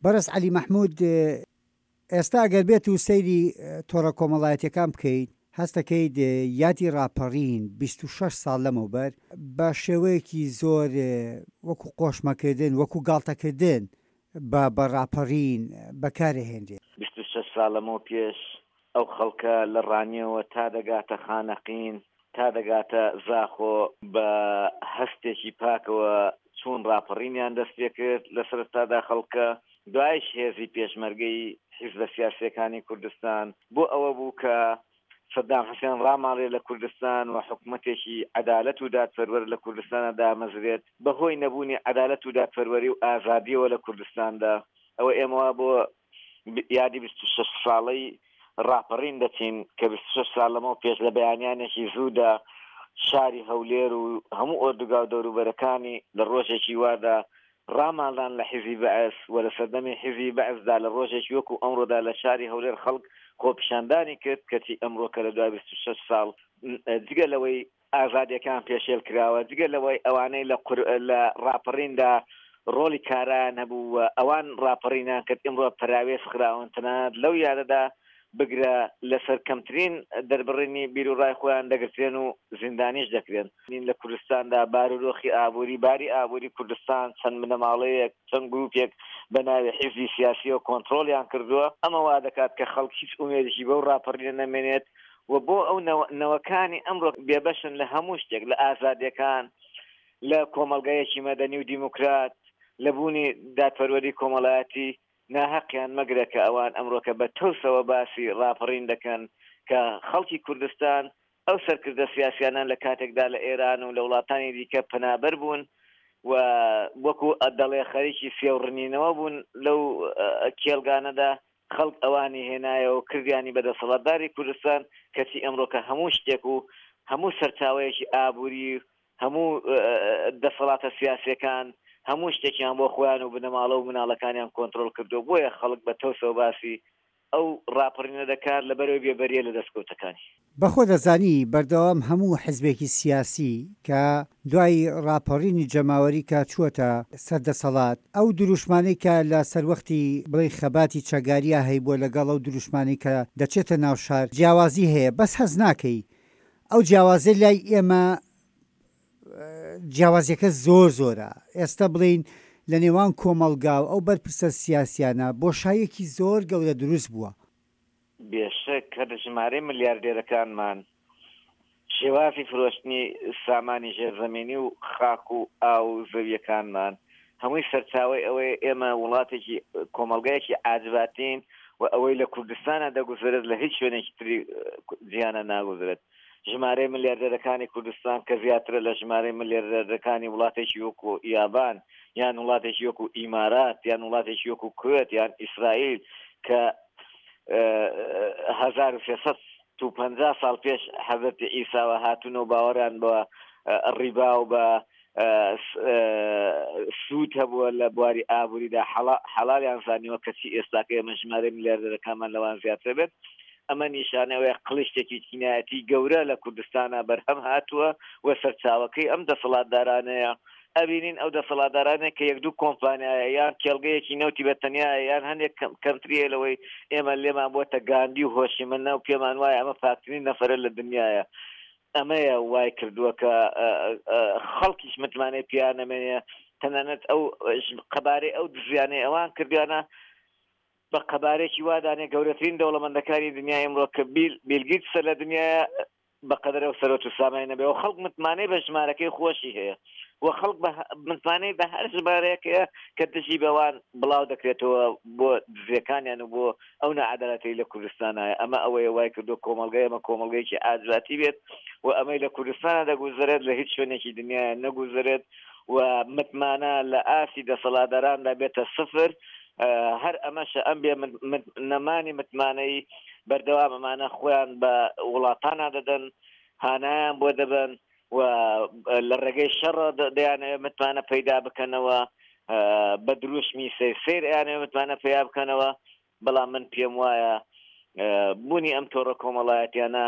بەڕێز عەلی مەحمود، ئێستا ئەگەر بێت و سەیری تۆڕە کۆمەڵایەتیەکان بکەیت هەست دەکەیت یادی ڕاپەڕین 26 ساڵ لەمەوبەر بە شێوەیەکی زۆر وەکو قۆشمەکردن وەکو گاڵتەکردن بە بە ڕاپەڕین بەکارئەهێنرێت. 26 ساڵ لەمەو پێش ئەو خەڵکە لە ڕانیەوە تا دەگاتە خانەقین تا دەگاتە زاخۆ بە هەستێکی پاکەوە چوون ڕاپەڕینیان دەست پێکرد لە سەرەتادا خەڵکە دوایش هێزی پێشمەرگەی حیزبە سیاسیەکانی کوردستان بۆ ئەوە بوو کە سەدام حسێن ڕاماڵێ لە کوردستان و حکومەتێکی عەدالەت و دادپەروەر لە کوردستانا دامەزرێت بەهۆی نەبوونی عەدالەت و دادپەروەری و ئازادیەوە لە کوردستاندا ئەوە ئێمە وا بۆ یادی 26 ساڵەی ڕاپەڕین دەچین کە 26 ساڵ لەمەو پێش لە بەیانیانێکی زوودا شاری هەولێر و هەموو ئۆردوگا و دەوروبەرەکانی لە ڕۆژێکی وادا ڕاماڵان لە حیزی بەعس و لە سەردەمی حیزی بەعسدا لە ڕۆژێکی وەکو ئەمڕۆدا لە شاری هەولێر خەڵک خۆپیشاندانی کرد کەچی ئەمڕۆ کە لە دوای 26 ساڵ جگە لەوەی ئازادیەکان پێشێل کراوە، جگە لەوەی ئەوانەی لە قور لە ڕاپەڕیندا ڕۆڵی کارایان هەبوو و ئەوان ڕاپەڕینیان کرد ئیمڕۆ پەراوێز خراون، تەنانەت لەو یادەدا بگرە لەسەر کەمترین دەربڕینی بیروڕای خۆیان دەگرترێن و زیندانیش دەکرێن. لە کوردستاندا بارودۆخی ئابووری، باری ئابووری کوردستان چەند بنەماڵەیەک، چەند گرووپێک بە ناوی حیزبی سیاسییەوە کۆنتڕۆڵیان کردووە، ئەمە وا دەکات کە خەڵک هیچ ئومێدێکی بەو ڕاپەڕینە نەمێنێت و بۆ ئەو نەوەکانی ئەمڕۆ بێبەشن لە هەموو شتێک، لە ئازادییەکان، لە کۆمەڵگایەکی مەدەنی و دیموکرات، لە بوونی دادپەروەری کۆمەڵایەتی، ناهەقیان مەگرە کە ئەوان ئەمڕۆکە بە تەوسەوە باسی ڕاپەڕین دەکەن کە خەڵکی کوردستان ئەو سەرکردە سیاسیانە لە کاتێکدا لە ئێران و لە وڵاتانی دیکە پەنابەر بوون و وەکو دەڵێ خەریکی سێوڕنینەوە بوون لەو کێڵگانەدا، خەڵک ئەوانی هێنایەوە و کردیانی بە دەسەڵاتداری کوردستان، کەچی ئەمڕۆکە هەموو شتێک و هەموو سەرچاوەیەکی ئابووری هەموو دەسەڵاتە سیاسیەکان هەموو شتێکیان بۆ خۆیان و بنەماڵە و مناڵەکانیان کۆنترۆڵ کردووە، بۆیە خەڵک بە تەوسەوە باسی ئەو ڕاپەڕینە دەکات لەبەرئەوەی بێبەریە لە دەستکەوتەکانی. بەخۆ دەزانی بەردەوام هەموو حزبێکی سیاسی کە دوای ڕاپەڕینی جەماوەری کە چووەتە سەر دەسەڵات ئەو دروشمانەی کە لە سەروەختی بڵێی خەباتی چەکداریا هەیبووە لەگەڵ ئەو دروشمانەی کە دەچێتە ناو شار جیاوازی هەیە بەس هەست ناکەی ئەو جیاوازیە لای ئێمە جیاوازیەکە زۆر زۆرە ئێستا بڵێین لە نێوان کۆمەڵگا و ئەو بەرپرسە سیاسیانە بۆشاییەکی زۆر گەورە دروست بووە. بێشک هەر ژمارەی ملیاردێرەکانمان شێوازی فرۆشتنی سامانی ژێرزەمینی و خاک و ئاو و زەویەکانمان هەمووی سەرچاوەی ئەوەیە ئێمە وڵاتێکی کۆمەڵگایەکی عاجباتین و ئەوەی لە کوردستانە دەگوزەرێت لە هیچ شوێنێکی تری جیهانە ناگوزرێت. ژمارەی ملیاردێرەکانی کوردستان کە زیاترە لە ژمارەی ملیاردێرەکانی وڵاتێکی وەکو یابان یان وڵاتێکی وەکو ئیمارات یان وڵاتێکی وەکو کوێت یان ئیسرائیل کە 1350 ساڵ پێش حەزرەتی عیساوە هاتوون و باوەڕیان بە ڕیبا و بە سوود هەبووە لە بواری ئابووریدا حەڵالیان زانیوە کەچی ئێستاکە ئێمە ژمارەی ملیاردەرەکانمان لەوان زیاتر بێت ئەمە نیشانەی ئەوەیە قڵیشتێکی چینایەتی گەورە لە کوردستانا بەرهەم هاتووە و سەرچاوەکەی ئەم دەسەڵاتدارانەیە. ئەبینین ئەو دەسەڵاتدارانەیە کە یەک دوو کۆمپانیایە یان کێڵگەیەکی نەوتی بە تەنیایە یان هەندێک کەمتری هەیە لەوەی ئێمە لێمان بۆتە گاندی و هۆشیمنە و پێمان وایە ئەمە پاکترین نەفەرە لە دنیایە. ئەمەیە وای کردووە کە خەڵکیش متمانەی پێیان نەمێنێ تەنانەت ئەو قەبارەی ئەو دزیانەی ئەوان کردویانە بە قەبارەیەکی وا دانێ گەورەترین دەوڵەمەندەکانی دنیای ئەمڕۆ کە بیل بیل گیتسە لە دنیایە بەقەدەر ئەو سەرۆت و سامانی نەبێ و خەڵک متمانەی بە ژمارەکەی خۆشی هەیە و خەڵک بە متمانەی بە هەر ژمارەیەک هەیە کە دژی بەوان بڵاو دەکرێتەوە بۆ دزیەکانیان و بۆ ئەو ناعەدالەتەی لە کوردستانایە ئەمە ئەوەیە وای کردووە کۆمەڵگای ئێمە کۆمەڵگەیەکی ئازادی بێت و ئەمەی لە کوردستانە دەگوزەرێت لە هیچ شوێنێکی دنیاە نەگوزەرێت و متمانە لە ئاستی دەسەڵاتداراندا بێتە سفر هەر ئەمەشە ئەم بێ نەمانی متمانەی بەردەوام ئەمانە خۆیان بە وڵاتانە دەدەن هانایان بۆ دەبەن و لە ڕێگەی شەڕ دەیانەوێت متمانە پەیدا بکەنەوە بە دروشمی سەیر سەیر ئەیانەوێت متمانە پەیا بکەنەوە بەڵام من پێم وایە بوونی ئەم تۆڕە کۆمەڵایەتیانە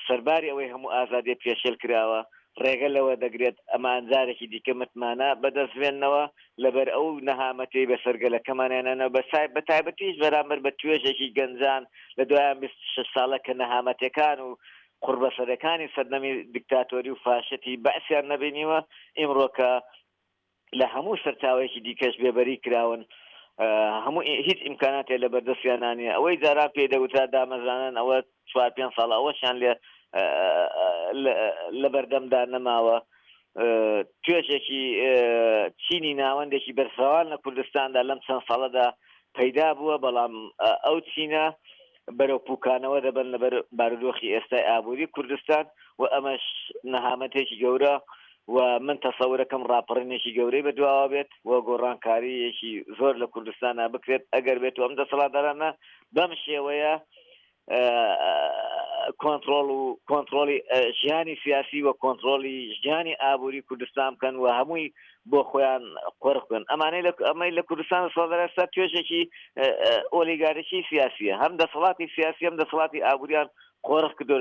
سەرباری ئەوەی هەموو ئازادیە پێشێل کراوە. ڕێگە لەوە دەگرێت ئەمان جارێکی دیکە متمانە بەدەست بێننەوە لەبەر ئەو نەهامەتیەی بەسەر گەلەکەمانیانەوە بە تایبەتیش بەرامبەر بە توێژێکی گەنجان لە دوای ئەم 26 ساڵە کە نەهامەتیەکان و قوڕبەسەرەکانی سەردەمی دیکتاتۆری و فاشیەتی بەعسیان نەبینیوە ئیمڕۆ کە لە هەموو سەرچاوەیەکی دیکەش بێبەری کراون هەموو هیچ ئیمکاناتێ لە بەردەستیان نییە ئەوەی جاران پێی دەگوترا دامەزرانن ئەوە چوار پێنج ساڵە ئەوەشیان لێ لە بەردەمدا نەماوە توێژێکی چینی ناوەندێکی بەرفراوان لە کوردستاندا لەم چەند ساڵەدا پەیدا بووە بەڵام ئەو چینە بەرەو پوکانەوە دەبن لەبەر بارودۆخی ئێستای ئابووری کوردستان و ئەمەش نەهامەتێکی گەورە و من تەسەورەکەم ڕاپەڕینێکی گەورەی بەدواوە بێت و گۆڕانکارییەکی زۆر لە کوردستانا بکرێت ئەگەر بێت و ئەم دەسەڵاتدارانە بەم شێوەیە کۆنتڕۆڵ و کۆنتڕۆڵی ژیانی سیاسی و کۆنتڕۆڵی ژیانی ئابووری کوردستان بکەن و هەمووی بۆ خۆیان قۆرخ بکەن ئەمانەی لە ئەمەی لە کوردستان دەسەڵاتدار ئێستا توێژێکی ئۆلیگارشی سیاسیە هەم دەسەڵاتی سیاسی هەم دەسەڵاتی ئابووریان قۆرخ کردو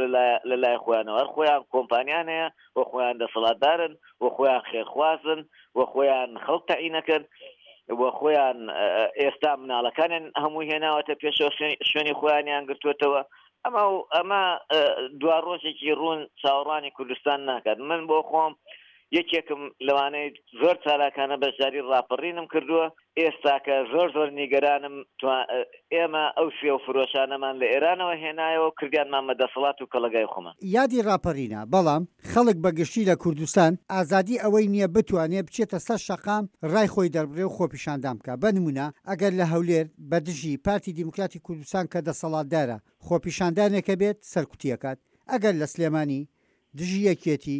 لە لای خۆیانەوە هەر خۆیان کۆمپانیان هەیە و خۆیان دەسەڵاتدارن و خۆیان خێرخوازن و خۆیان خەڵک تەعینەکەن و خۆیان ئێستا مناڵەکانیان هەموو هێناوەتە پێشەوە شوێنی خۆیانیان گرتووەتەوە ئەمە و ئەمە دوا ڕۆژێکی ڕوون چاوەڕوانی کوردستان ناکات من بۆ خۆم یەکێکم لەوانەی زۆر چالاکانە بەشداری ڕاپەڕینم کردووە ئێستاکە زۆر زۆر نیگەرانم ئێمە ئەو سێو فرۆشانەمان لە ئێرانەوە هێنایەوە و کردیانمان بە دەسەڵات و کەڵەگای خۆمان. یادی ڕاپەڕینە، بەڵام خەڵک بە گشتی لە کوردستان ئازادی ئەوەی نییە بتوانێ بچێتە سەر شەقام ڕای خۆی دەربڕێ و خۆپیشاندان بکا، بە نموونە ئەگەر لە هەولێر بە دژی پارتی دیموکراتی کوردستان کە دەسەڵاتدارە خۆپیشاندانێک هەبێت سەرکوتی ئەکات، ئەگەر لە سلێمانی دژی یەکێتی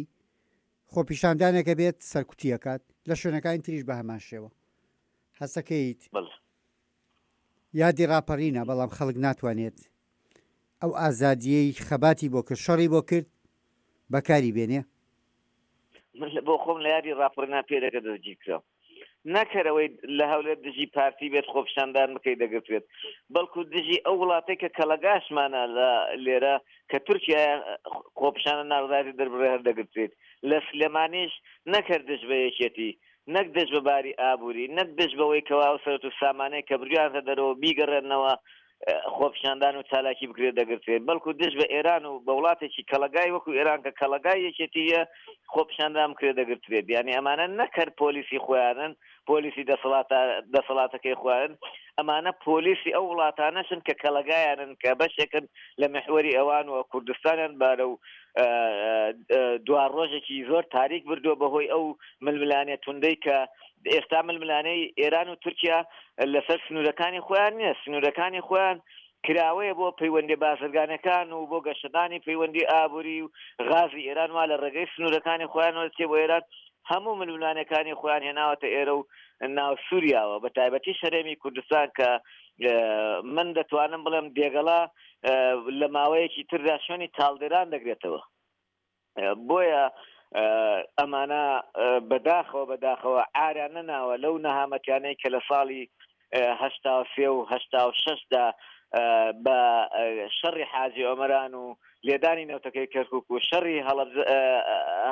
خۆپیشاندانێک هەبێت سەرکوتی ئەکات، لە شوێنەکانی تریش بە هەمان شێوە. هەستەکەیت بەڵێ. یادی ڕاپەڕینە، بەڵام خەڵک ناتوانێت ئەو ئازادییەی خەباتی بۆ کرد، شەڕی بۆ کرد، بەکاری بێنێ. من بۆ خۆم لە یادی ڕاپەڕینا پێرێکە دەستگیر کرام. نەک هەر ئەوەی لە هەولێر دژی پارتی بێت خۆپیشاندان بکەی دەگرترێت، بەڵکو دژی ئەو وڵاتەی کە کەڵەگاشمانە لە لێرە کە تورکیایە خۆپیشاندان ناڕەزایەتی دەربڕێ هەر دەگرترێت. لە سلێمانیش نەک هەر دژ بە یەکێتی، نەک دژ بە باری ئابووری، نەک دژ بەوەی کەوا ئەو سەرەت و سامانەی کە بردویانتە دەرەوە بیگەڕێننەوە خۆپیشاندان و چالاکی بکرێت دەگرترێت، بەڵکو دژ بە ئێران و بە وڵاتێکی کەڵەگای وەکو ئێران کە کەڵەگای یەکێتی یە خۆپیشاندان بکرێت دەگرترێت، یانی ئەمانە نەک هەر پۆلیسی خۆیانن، پۆلیسی دەسەڵاتە دەسەڵاتەکەی خۆیانن، ئەمانە پۆلیسی ئەو وڵاتانەشن کە کەڵەگایانن کە بەشێکن لە میحوەری ئەوان و کوردستانیان بەرەو دواڕۆژێکی زۆر تاریک بردووە بەهۆی ئەو ململانێ توندەی کە ئێستا ململانێی ئێران و تورکیا لەسەر سنوورەکانی خۆیان نییە، سنوورەکانی خۆیان کراوەیە بۆ پەیوەندی بازرگانەکان و بۆ گەشەدانی پەیوەندی ئابووری و غازی ئێران وا لە ڕێگەی سنوورەکانی خۆیانەوە دەچێت بۆ ئێران هەموو ململانێکانی خۆیان هێناوەتە ئێرە و ناو سووریاوە بە تایبەتی هەرێمی کوردستان کە من دەتوانم بڵێم دێگەڵە لە ماوەیەکی تردا شوێنی چاڵدێران دەگرێتەوە. بۆیە ئەمانە بەداخەوە بەداخەوە عاریان نەناوە لەو نەهامەتیانەی کە لە ساڵی 83 و 86 دا بە شەڕی حاجی ئۆمەران و لێدانی نەوتەکەی کەرکک و شەڕی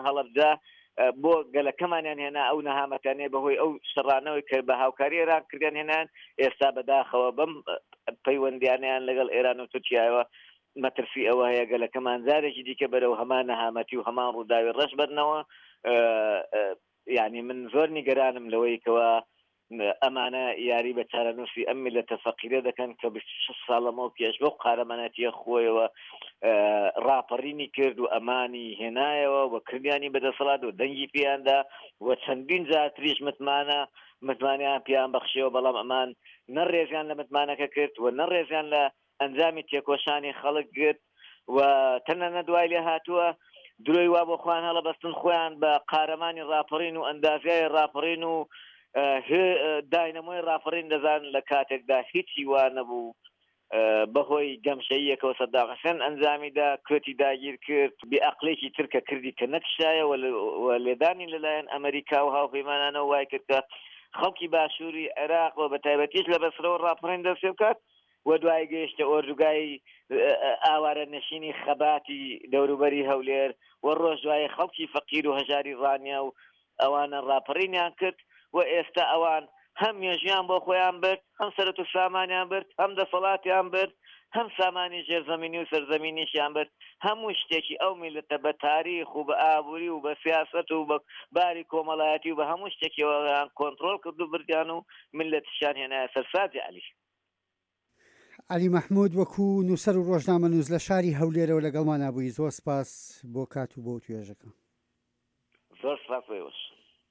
هەڵەبجە بۆ گەلەکەمانیان هێنا ئەو نەهامەتیانەی بەهۆی ئەو شەڕانەوەی کە بە هاوکاری ئێران کردیان هێنان ئێستا بەداخەوە بەم پەیوەندیانیان لەگەڵ ئێران و تورکیاوە مەترسی ئەوە هەیە گەلەکەمان جارێکی دیکە بەرەو هەمان نەهامەتی و هەمان ڕووداوی ڕەش بەرنەوە یعنی من زۆر نیگەرانم لەوەی کەوا ئەمانە یاری بە چارەنووسی ئەم میللەتە فەقیرە دەکەن کە 26 ساڵ لەمەو پێش بەو قارەمانەتیە خۆیەوە ڕاپەڕینی کرد و ئەمانی هێنایەوە و کردیانی بەدەسەڵات و دەنگی پێیاندا و چەندین جارتریش متمانە متمانیان پێیان بەخشیەوە بەڵام ئەمان نە ڕێزیان لە متمانەکە کرد و نە ڕێزیان لە ئەنجامی تێکۆشانی خەڵک گرت و تەنانەت وای لێ هاتووە درۆی وا بۆ خۆیان هەڵەبەستن خۆیان بە قارەمانی ڕاپەڕین و ئەندازیای ڕاپەڕین و داینەمۆی ڕاپەڕین دەزان لە کاتێکدا هیچی وا نەبوو بەهۆی گەمژەییەکەوە سەدام حسێن ئەنجامیدا کوێتی داگیر کرد بێ ئەقلێکی تر کە کردی کە نەکشایەوە و لێدانی لەلایەن ئەمریکا و هاوپەیمانانەوە وای کرد کە خەڵکی باشووری عێراق و بە تایبەتیش لە بەسرەوە ڕاپەڕین دەست پێ بکات. و دوایی گەیشتە ئۆردوگای ئاوارە نشینی خەباتی دەوروبەری هەولێر و ڕۆژ دوایی خەڵکی فەقیر و هەژاری ڕانیە و ئەوانە ڕاپەڕینیان کرد و ئێستا ئەوان هەم مێژویان بۆ خۆیان برد، هەم سەرەت و سامانیان برد، هەم دەسەڵاتیان برد، هەم سامانی ژێرزەمینی و سەرزەمینیشیان برد، هەموو شتێکی ئەو میللەتە بە تاریخ و بە ئابووری و بە سیاسەت و بە باری کۆمەڵایەتی و بە هەموو شتێکیەوەیان کۆنتڕۆڵ کرد و بردیان و میللەتیشیان هێنایە سەر سازی عەلی. عەلی مەحمود وەکو نووسەر و ڕۆژنامەنووس لە شاری هەولێرەوە لەگەڵمانا بووی زۆر سپاس بۆ کات و بۆ وتوێژەکە. زۆر سپاس بۆ ئێوەش.